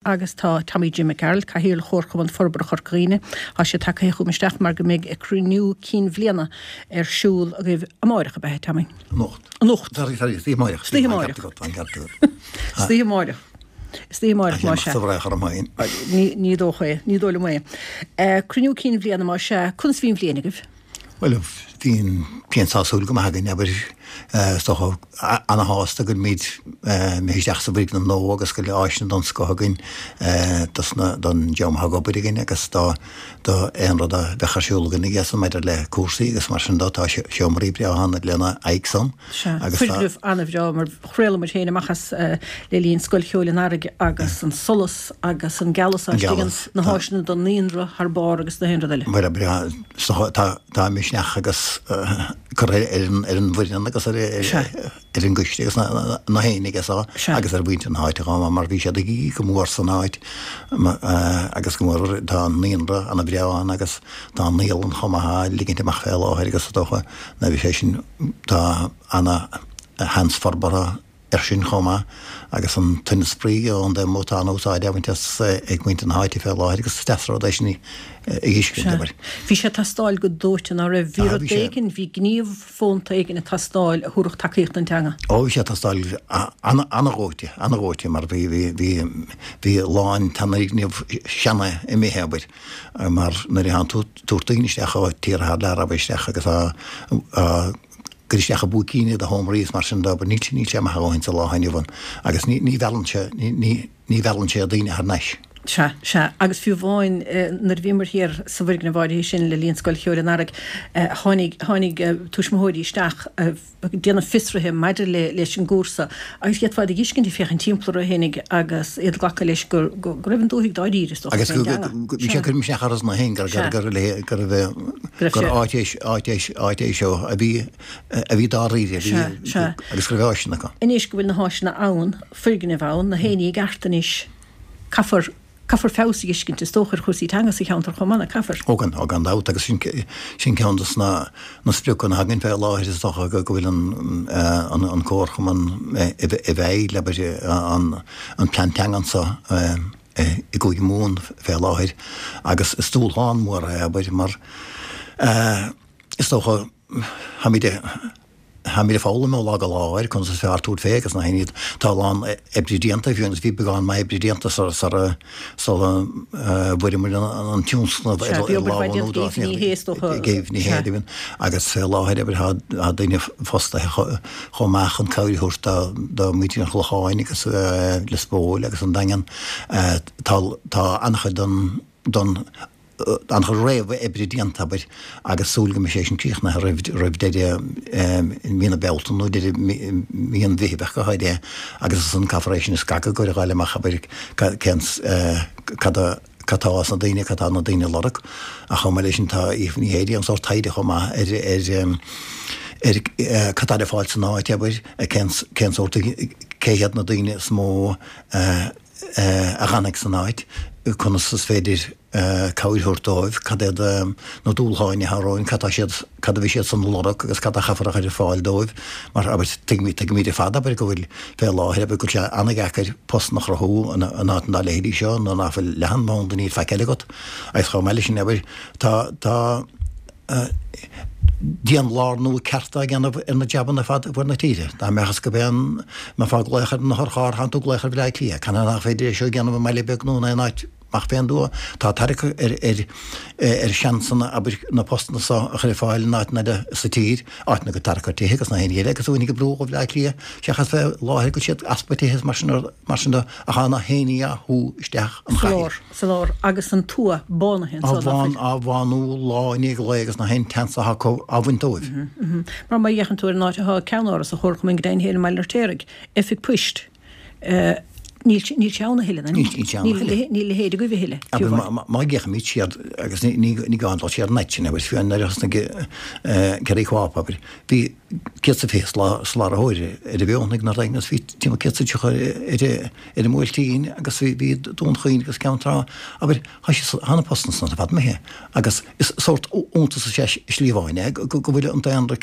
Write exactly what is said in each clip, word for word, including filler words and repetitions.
Agus tá Tommy Jim Mac Gearailt, Cathaoirleach Chomharchumann Forbartha Chorca Dhuibhne, tá sé tagtha chugam isteach mar go mbeidh cruinniú cinn bhliana ar siúl agaibh amáireach, ab ea, Tommy? Anocht. Anocht. Sorry, sorry, istoíche amáireach. Istoíche amáireach. Istoíche amáireach. Istoíche amáireach, más ea. Sa bhreith orm féin. Ní ní dócha é, ní dóigh liom é. Cruinniú cinn bhliana, más ea, conas a bhí an bhliain agaibh? Bhuel, bhí an bhliain sásúil go maith againn, abair, is dócha, ana-shásta go bhfuilimid imithe isteach sa bhfoirgneamh nua agus go bhfuil áiseanna den scoth againn dos na, don dream atá ag obair againn agus do, do aon rud a bheadh ar siúl againn aige san maidir le cúrsaí agus mar sin de, tá seomraí breátha ann lena aghaidh san. Sea, foirgneamh an-bhreá mar chraol muid féin amach as le linn Scoil Cheoil an Earraigh agus an solas agus an gealas istigh, na háiseanna don naíonra thar barr agus na haon rud eile. Bhuel, breá, is dócha, tá, tá misneach agus curtha ar an ar an bhfoireann agus ar ar an gcoiste agus na na héinne aige so agus ar mhuintir na háite chomh maith mar bhí siad ag íoc go mór san áit agus go mór tá an naíonra ana bhreá ann agus tá an naíolann chomh maith á ligint amach fé láthair agus is dócha na bhí sé sin tá ana sheans forbartha air sin chomh maith agus an tine spraoi ón dtaobh amuigh tá an-úsáid á bhaint as ag muintir na háite fé láthair agus is deas an rud é sin a fheiscint, abair. Bhí sé ag teastáil go dóite, ná raibh? Bhí rud éigin, bhí gníomh fónta éigin ag teastáil a thabharfadh tacaíocht don teanga. Ó bhí sé ag teastáil ana-dhóite, ana-dhóite mar bhí, bhí, bhí, bhí a lán d'fhoirgnimh seana imithe, abair, mar nuair a thánn tú ag tabhairt daoine isteach ó tíortha thar lear, abair, isteach agus á, á, gcur isteach i bpúicíní do sheomraí is mar sin de, níl sé, níl sé maith a dhóthain sa lá inniu ann agus ní, ní mheallann sé, ní, ní, ní mheallann sé daoine thar n-ais. Sea, sea. Agus fiú amháin nuair a bhíomar thiar sa bhfoirgneamh áirithe sin le linn Scoil Cheoil an Earraigh, tháinig, tháinig tuismitheoirí isteach ag déanamh fiosraithe maidir le, leis an gcúrsa agus d'fhéadfá iad a dh'fheiscint ag féachaint timpeall orthu fhéinig agus iad ag glacadh leis go, go, go raibh an dúthaigh dáiríre, is dócha, Agus fén go, dteanga. go, bhí sé ag cur misneach orthu san féin gur, gur, gur, gur, gur, gur áit é, áit é, áit é seo a bhí, a bhí dáiríre, a bhí, agus go raibh áiseanna acu. Anois go bhfuil na háiseanna ann, foirgnimh ann, na héinní i gceart anois, caithfear, caithfear feabhas a dh'fheiscint, is dócha, ar chúrsaí teanga sa cheantar chomh maith, nach caithfear? Ó gan, ó gan dabht, agus sin, sin ceann de na, na spriocanna atá againn fé láthair, is dócha, go, go bhfuil an, an, an comharchumann i, i bhfeighil, abair, an, an plean teanga anso i gCúige Mumhan fé láthair, agus is dúshlán mór é, abair, mar is dócha, Táimid táimid ag foghlaim ó lá go lá ar conas is fearr tabhairt fé agus na haon tá a lán oibre déanta fiú agus bhí beagán maith oibre déanta sula sula sula bhfuaireamar an tionscnamh ar Sea, bhí obair mhaith déanta ag Aoife Ní Shé is dócha. Ag Aoife Ní Shé deimhin agus fé láthair abair tá daoine fostaithe chomh maith chun cabhair a thabhairt do do mhuintir an Chlocháin agus Lios Póil agus an Daingean. Tá tá an-chuid don don an-chuid réamh-oibre déanta, abair, agus súil go mbeidh sé sin críochnaithe roimh roimh deireadh mí na Bealtaine nó deireadh mí an Mheithimh ach go háirithe, agus ansan caithfear é sin a scagadh ag gabháil amach, abair, cén cad a cad tá sna daoine, cad tá na daoine ag lorg. Ach chomh maith leis sin tá Aoife Ní Shé ag déanamh sórt taighde chomh maith ar ar ar cad tá le fáil san áit, abair, cén cén sórt cé hiad na daoine is mó a a dh'fhanfaidh san áit, conas is féidir cabhair a thabhairt dóibh, cad iad na dúshláin atá romhainn, cad tá siad, cad a bhí siad san a lorg agus cad a chaithfear a chur ar fáil dóibh. Mar, abair, tuigimid, tuigimid ar fad, abair, go bhfuil, fé láthair, abair, go bhfuil sé an-dheacair postanna a chruthú in áit dá leithéidí seo nuair nach bhfuil leathanbhanda, níl faic eile agat. Agus chomh maith leis sin, abair, tá, tá, dianlárnú ceart á dhéanamh ar na jabanna ar fad i bhfuaid na tíre. Dá mbeadh is go b'é an mbeifeá ag glaoch ar an otharcharr, thánn tú ag glaoch ar Bhleá Cliath. Canathaobh nach féidir é seo a dhéanamh i mbaile beag nó in aon áit amach fén dtuath? Tá tarrac ar ar ar sheansanna, abair, na postanna seo a chur ar fáil in áiteanna eile sa tír, áiteanna go tarrac ar tithe agus na haon ní eile agus daoine ag brú ó Bhleá Cliath seachas fé láthair go bhfuil siad easpa tithe is mar sin mar sin de ach tá na héinní á shú isteach an Sa chathair. lár. Sa lár agus an tuath bánaithe Á anso, nach bhán, bhfuil? á bhánú lá i ndiaidh lae agus na haon tseans atá acu á bhaint dóibh. Mar má fhéachann tú ar an áit atá ceannáras an Chomharchumainn go deimhin féin i mBaile an Fheirtéaraigh, oifig poist, níl sé, níl sé ann a thuilleadh, Níl, níl sé ann a thuilleadh. Níl a leithéid agaibh a thuilleadh, fiú Abair, amháin. má, má fhéachaimid siar, agus ní, ní, ní gá dul siar an fhad sin, abair, fiú nuair a thosnaigh Kerry Co-op, abair, bhí céad is a fiche sláraitheoir ar an bhFeothanaigh nuair a agus bhí timpeall céad is a tríocha ar ar an mBuailtín agus bhí bhí Dún Chaoin agus Ceann Trá. Abair, tá sé tá na postanna san ar fad imithe agus is sórt iontas is ea slí amháin é go go bhfuil an daonra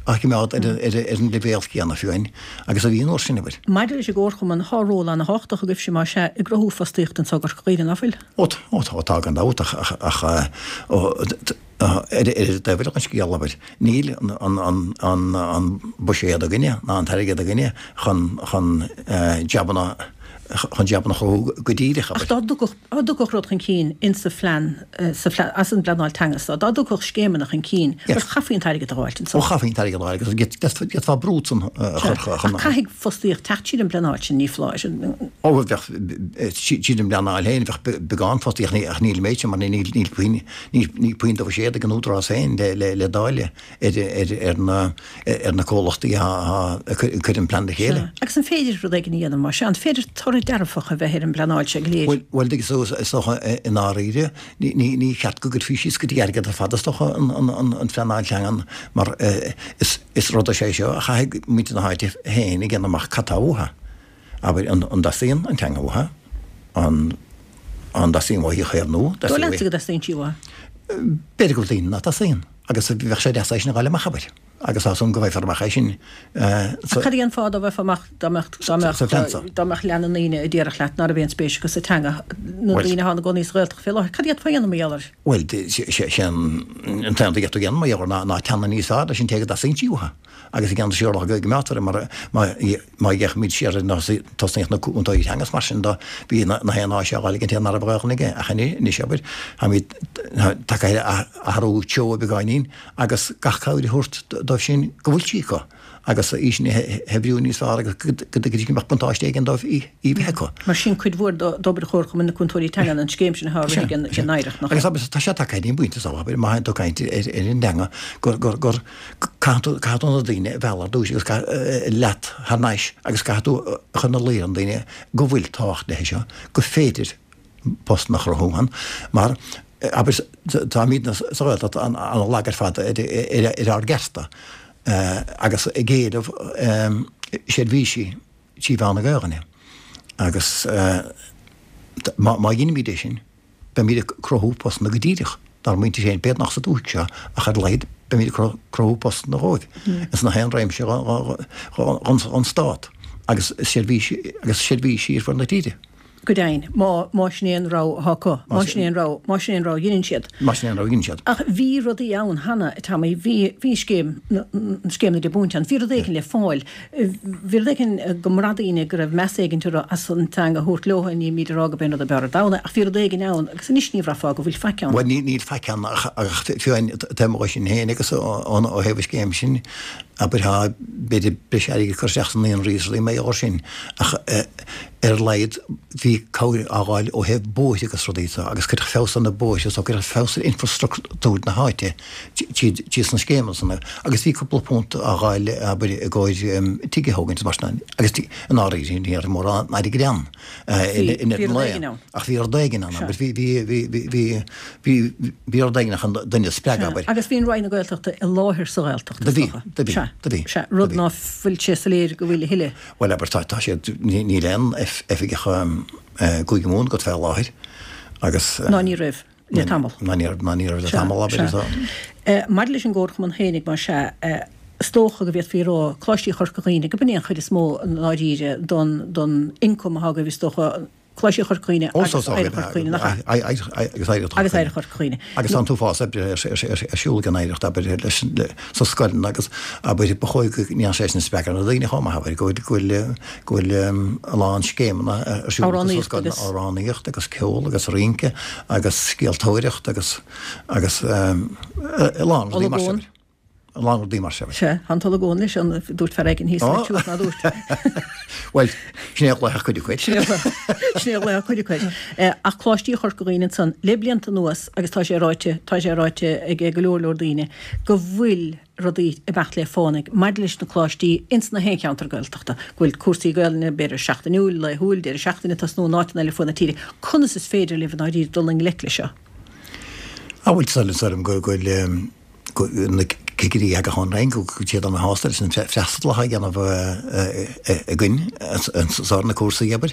á choimeád ar ar ar an leibhéal céanna fiú amháin agus a bhí an uair sin, abair. Maidir leis an gComharchumann, tá ról an-thábhachtach agaibhse más ea i gcruthú fostaíochta anseo i gCorca Dhuibhne, ná fuil? Ó ó tá tá gan dabht ach ach ach ó ar ar an dtaobh eile den scéal, abair, níl an an an an buiséad againne ná an t-airgead againne chun chun jabanna chun jabanna a chruthú go díreach, Ach abair. dá dtiocfadh dá dtiocfadh rud chun cinn insa phlean sa phlean as an bpleanáil teanga so, dá dtiocfadh scéimeanna chun cinn, Yes. bhuel chaithfí an t-airgead a dh'fháilt anso. Ó chaithfí an t-airgead a dh'fháil agus d'fhéadfá brú san a chur Ach chun caithfidh fostaíocht teacht tríd an bpleanáil sin, ní foláir. Ó bheadh tríd an bpleanáil féin bheadh beagán fostaíocht ach níl an méid sin mar níl níl puinn níl níl puinn de bhuiséad ag an Údarás féin le le le dáileadh ar ar ar na ar na comhlachtaí a a chuir an plean le chéile. Agus an féidir rud éigin a dhéanamh mar sin? An féidir toradh dearfach a bheith ar an bpleanáil seo go léir? Bhuel bhuel is is dócha i ndáiríre ní ní ní cheart go gcuirfí síos go dtí airgead ar fad is dócha an an an an phleanáil teangan mar is is rud é seo a chaithfidh muintir na háite féin a dhéanamh amach cad tá uathu. Abair an an dteastaíonn an teanga uathu, an an dteastaíonn uathu í a chaomhnú, Dóigh leatsa go dteastaíonn sí uathu? B'fhéidir go bhfuil daoine nach dteastaíonn agus bheadh sé deas é sin a fháil amach, abair, agus tá súil agam go bhfaighfear amach é sin Ach sa cad é an fáth dá bhfaighfeá amach dá mbeadh dá mbeadh sa phlean seo? dá mbeadh leath na ndaoine a déarfadh leat ná raibh aon spéis acu sa teanga, na Bhuel, daoine atá ina gcónaí sa Ghaeltacht fé láthair, cad a d'fhéadfá a dhéanamh mar gheall air? Bhuel, sé an t-aon rud a d'fhéadfá a dhéanamh mar gheall air ná ná teannadh níos fearr leis an té go dteastaíonn sí uathu. Agus i gceann siar go gcoimeádtar mar má fhéachaimid siar ar nuair a tosnaíodh na cúntóirí teanga is mar sin de, bhí na haon áis á fháil ag an té ná raibh Gaelainn aige ach anois, abair, táimid tagtha ar athrú treo beagáinín agus gach cabhair a thabhairt dóibh sin go bhfuil sí acu agus í sin a shaibhriú níos fearr agus go dtuigfidís go mbeadh buntáiste éigin dóibh í a bheith acu. Mar sin cuid mhór d'obair Chomharchumann na Cúntóirí Teanga an scéim sin atá á rith ag an Oidhreacht, nach ea? Agus tá sé tagtha go dtí an bpointe seo, abair, má théann tú ag caint ar an dteanga, gur gur caithfidh tú caithfidh tú na daoine a mhealladh ar dtús agus leat thar n-ais agus caithfidh tú a chur ina luí ar na daoine go bhfuil tábhacht léi seo, gur féidir postanna a chruthú ann mar abair táimidne sa Ghaeltacht an-lag ar fad ar ár gcearta agus ag éileamh seirbhísí trí mheán na Gaelainne agus má dheinimid é sin beimid ag cruthú postanna go díreach dár muintir féin, b'fhéidir nach sa dúthaigh seo ach ar a laghad beimid ag cruthú postanna dhóibh ins na haon réimse dhon stát agus seirbhísí agus seirbhísí ar fud na tíre. Go deimhin, má, má sin é an rogha atá acu, má sin é an rogha, má sin é an rogha a dheineann siad. Má sin é an rogha a dheineann siad. Ach bhí rudaí ann cheana, a Tommy, bhí, bhí scéim, scéim na deich bpunt ann, bhí rud éigin le fáil, bhí rud éigin go mbraith daoine go raibh meas éigin orthu as an teanga a thabhairt leo, ní bhímid ag rá gurb é an rud ab fhearr ar domhan é, ach bhí rud éigin ann agus anois ní bhraithfeá go bhfuil faic ann. Bhuel, ní, níl faic ann ach, ach fiú amháin taobh amuigh sin féin agus ó, ó thaobh an scéim sin, abair tá, b'fhéidir breis airgid curtha isteach sna naíonraí is rudaí mar gheall air sin ach ar a laghad bhí cabhair á fháil ó thaobh bóithre agus rudaí so agus cuireadh feabhas ar na bóithre so cuireadh feabhas ar infrastruchtúr na háite tríd tríd sna scéimeanna san agus bhí cúpla punt á fháil abair i gcomhair tigh a thógaint is mar sin agus i ndáiríre ní raibh mórán airgid ann Bhí in bhí an rud lae éigin ann. ach bhí rud éigin ann Sea. abair bhí bhí bhí bhí bhí bhí bhí rud éigin chun duine a spreagadh Sea. abair. Agus bhí an Roinn na Gaeltachta i láthair sa Ghaeltacht Do is bhí dócha. do bhí Sea. do bhí Sea. do Rud bhí. ná fuil sé soiléir go bhfuil a thuilleadh. Bhuel abair tá tá siad níl aon oifigeach Cúige Mumhan agat fé láthair agus. Ná ní raibh le tamall. Ná ní raibh ná ní raibh le Sea, tamall abair sea. so. Maidir leis an gComharchumann féinig más ea, is dócha go bhféadfaí a rá, Coláistí Chorca Dhuibhne, go b'in é an chuid is mó i ndáiríre don don ioncam atá agaibh is dócha, Coláistí Chorca Dhuibhne Ó agus so Oidhreacht Chorca Dhuibhne, nach ea? Agus Oidhreacht Agus Chorca Oidhreacht Chorca Dhuibhne. Agus tá an t-uafás oibre ar siúl ag an Oidhreacht, abair, leis sna scoileanna agus, abair, ba chóir go ndéanfadh sé sin spreagadh na daoine chomh maith, abair, go bhfuil, go bhfuil, go bhfuil a lán scéimeanna ar siúl acu sna Amhránaíocht scoileanna, agus. amhránaíocht agus ceol agus rince agus scéaltóireacht agus, agus a lán rudaí mar sin. Olagón. A lán rudaí mar sin. Sea, tá an t-olagón leis an, dúirt fear éigin thíos le tiús ná dúirt. Bhuel, sin é a ghlaofadh cuid acu air. Sin é a ghlaofadh cuid acu air. Ach Coláistí Chorca Dhuibhne ansan, le blianta anuas, agus tá sé ráite, tá sé ráite ag go leor leor daoine, go bhfuil rudaí ag imeacht le fánaidh maidir leis na coláistí ins na haon cheantar Gaeltachta, go bhfuil cúrsaí Gaelainne, b'fhéidir seachtainiúil, laethúil, deireadh seachtaine, ag tosnú in áiteanna eile fud na tíre. Conas is féidir libh i ndáiríre dul i ngleic leis seo? Á bhuel, tá súil agam go bhfuil na cigirí a thagadh ón Roinn, go bhfuil siad ana-shásta leis an freastal atá á dhéanamh againn anso ar na cúrsaí, abair.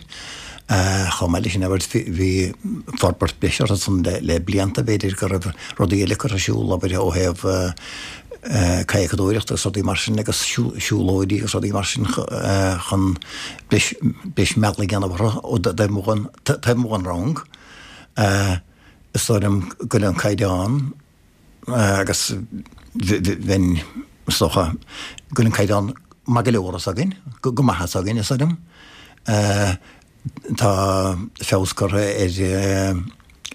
Chomh maith leis sin, abair, bhí forbairt breise orthu san le blianta, b'fhéidir, go raibh rudaí eile curtha ar siúl, abair, ó thaobh kajakadóireacht agus rudaí mar sin agus siúlóidí agus rudaí mar sin chun breis mealladh a dhéanamh orthu ó taobh amuigh den rang. Is dóigh liom go bhfuil an caighdeán agus bheinn, is dócha, go bhfuil an caighdeán maith go leor s'againn, go maith s'againn, is dóigh liom. Tá feabhas curtha ar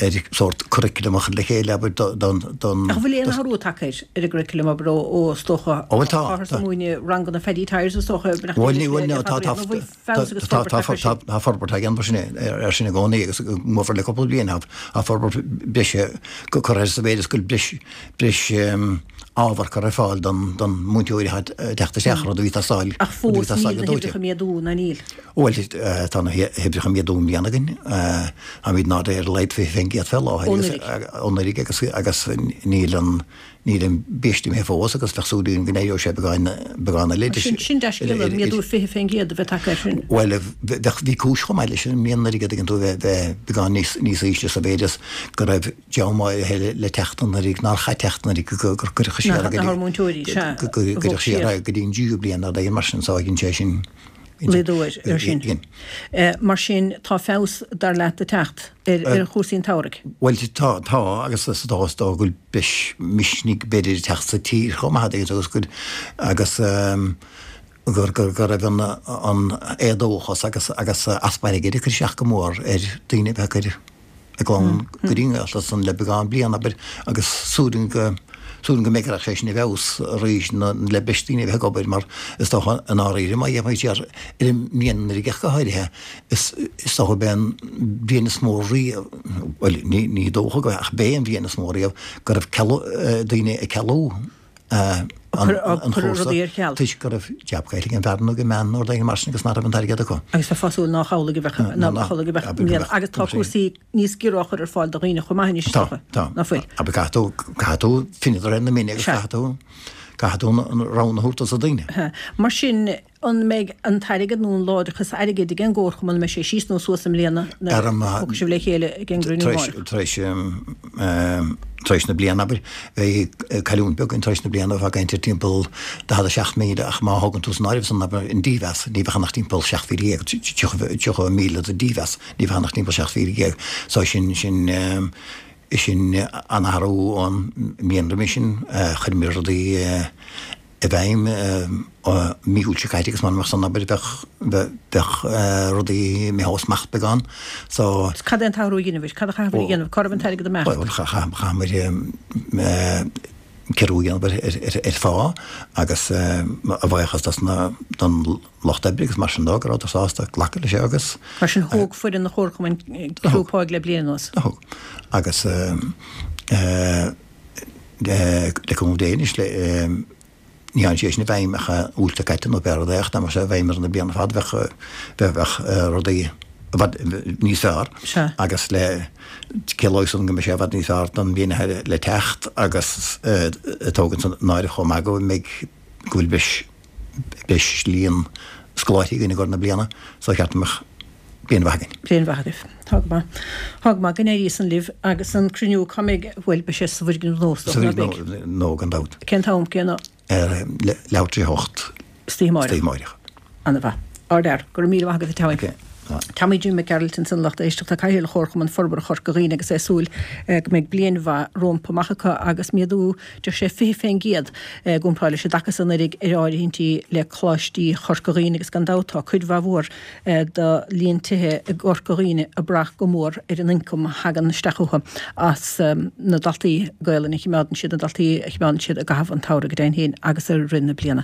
ar sórt curriculum a chur le chéile, abair, don, don. Ach an bhfuil aon athrú tagtha air, ar an gcurriculum, abair, ó, ó, is dócha, Ó, bhuel, tá, táthar tá. ag múineadh ranganna Phaddy Tyers, is dócha, nach Bhuel, bhfuil ní, bhuel, le tá, tá, fada, nó bhfuil feabhas agus tá, forbairt tá, tagtha air tá, sin? tá forbairt á dhéanamh sin, ar sin i gcónaí agus go mór le cúpla bliain, tá, tá forbairt breise curtha air sa mhéid is go bhfuil breis, breis ábhar curtha ar fáil don, don múinteoir atá ag teacht isteach, rud a bhí ag teastáil, Ach rud a bhí fós ag teastáil níl go na dóite. hoibreacha méadú, ná níl? Bhuel, tá na hoibreacha méadú i mbliana againn. Táimid ná ar a laghad fiche faoin gcéad fé láthair Ó agus anuraidh. ó anuraidh agus agus níl an níl an biaiste imithe fós agus bheadh súil againn go n-éireodh sé beagán beagán eile Sin sin dea-scéala, méadú fiche faoin gcéad a bheith tagtha air sin. Bhuel, bheadh bhí cúis chomh maith leis an mbliain anuraidh an dtuigeann tú bheith bheith beagán níos níos ísle sa mhéid is go raibh dream áirithe le teacht anuraidh nár chaith teacht anuraidh go gur cuireadh siar Nach go nach dtí múinteoirí, sea, go go a bhog gcuireadh siar siar. go dtí an tríú bliain nó rud mar sin so dhein sé sin Laghdú air ar sin. Dhein. Mar sin, tá feabhas, dar leat, ag teacht ar ar chúrsaí an tsamhraidh. Bhuel, tá, tá, agus is dócha is dócha go bhfuil breis misnigh b'fhéidir ag teacht sa tír chomh maith agus go agus gur gur go raibh an an éadóchas agus agus easpa airgid ag cur isteach go mór ar daoine a bheith ag cur a gclann go dtí an Ghaeltacht san le beagán bliain, abair, agus súil go súil go mbeidh sé sin i bhfeabhas arís le breis daoine a bheith ag obair mar is dócha i ndáiríre má dhéanfaidh siar ar an mbliain anuraidh go háirithe is is dócha b'é an bhliain is mó riamh, bhuel ní ní dócha go ach b'é an bhliain is mó riamh go raibh cealú daoine ag cealú an Cur chúrsa rudaí ar ceal. toisc go raibh jab caillte ag an bhfear nó ag an mbean nó rud éigin mar sin agus nach raibh an t-airgead acu. Agus bheifeá ag súil nach amhlaidh a bheadh nach amhlaidh a bheadh i mbliana. Agus tá cúrsaí níos giorra á chur ar fáil do dhaoine chomh maith anois is Tá, dócha, tá. nach bhfuil? Abair caithfidh tú, caithfidh tú finné de réir na mine agus Sea. caithfidh tú, caithfidh tú an rogha a thabhairt dos na daoine. Mar sin, an mbeidh an t-airgead nó an láidreachas airgid ag an gComharchumann, an mbeidh sé síos nó suas i mbliana nuair Ar a an thiocfaidh sibh le chéile ag an gcruinniú Tar éis, amárach? tar éis, tar éis na bliana, abair, bheidh cailliúint beag againn tar éis na bliana, bheifeá ag caint ar timpeall daichead a seacht míle ach má thógann tú san áireamh san, abair, an dímheas, ní bheadh ann ach timpeall seacht mhíle dhéag, tríocha míle de dhímheas, ní bheadh ann ach timpeall seacht mhíle dhéag. So sin, sin, sin an-athrú ón mbliain roimhe sin. Chuireamar rudaí i bhfeidhm mí Iúil seo caite agus mura mbeadh san, abair, bheadh, bheadh rudaí imithe ó smacht beagán. So. Cad é an t-athrú a dheineabhair? Cad a chaitheabhair a dhéanamh? Cá raibh an t-airgead ag imeacht? Bhuel, chaitheamar ciorrú a dhéanamh ar phá agus a bhuíochas dos na, don lucht oibre agus mar sin dó go rabhadar sásta glacadh leis agus. Mar sin thóg foireann an Chomharchumainn ciorrú páigh le bliain anuas. Thóg. Agus le cúnamh Dé anois le ní tháinig sé sin i bhfeidhm ach Iúil seo caite nó pé rud é ach dá mbeadh sé i bhfeidhm ar na bliana ar fad bheadh bheadh rudaí i bhfad níos fearr Sea. agus le ciallóidh san go mbeidh sé i bhfad níos fearr don bhliain atá le teacht agus tógaint san áireamh chomh maith go mbeidh go bhfuil breis breis líon scoláirí againn i gcomhair na bliana so cheart go mbeadh bliain mhaith againn. Bliain mhaith agaibh. Tá go maith. Tá go maith. Go n-éirí san libh agus an cruinniú cá mbeidh, bhuel beidh sé sa bhfoirgneamh nua is Sa dócha, ná beidh? bhfoirgneamh nua gan dabht. Cén t-am, cén. Ar leathuair tar éis a hocht. Istoíche amárach. Istoíche amárach. Ana-mhaith. Ardfhear. Go raibh míle maith agat a Tommy. Ok. Tommy Jim Mac Gearailt ansan lucht éisteachta, Cathaoirleach Chomharchumann Forbartha Chorca Dhuibhne agus é ag súil go mbeidh bliain mhaith rompu amach acu agus méadú deir sé fiche fén gcéad i gcomparáid leis an dtaca san anuraidh ar áirithintí le Coláistí Chorca Dhuibhne agus gan dabht tá cuid mhaith mhór de líon tithe i gCorca Dhuibhne ag brath go mór ar an ioncam a thagann isteach chucu as na daltaí Gaelainne a chimeádann siad, na daltaí a chimeádann siad i gcaitheamh an tsamhraidh go deimhin féin agus i rith na bliana.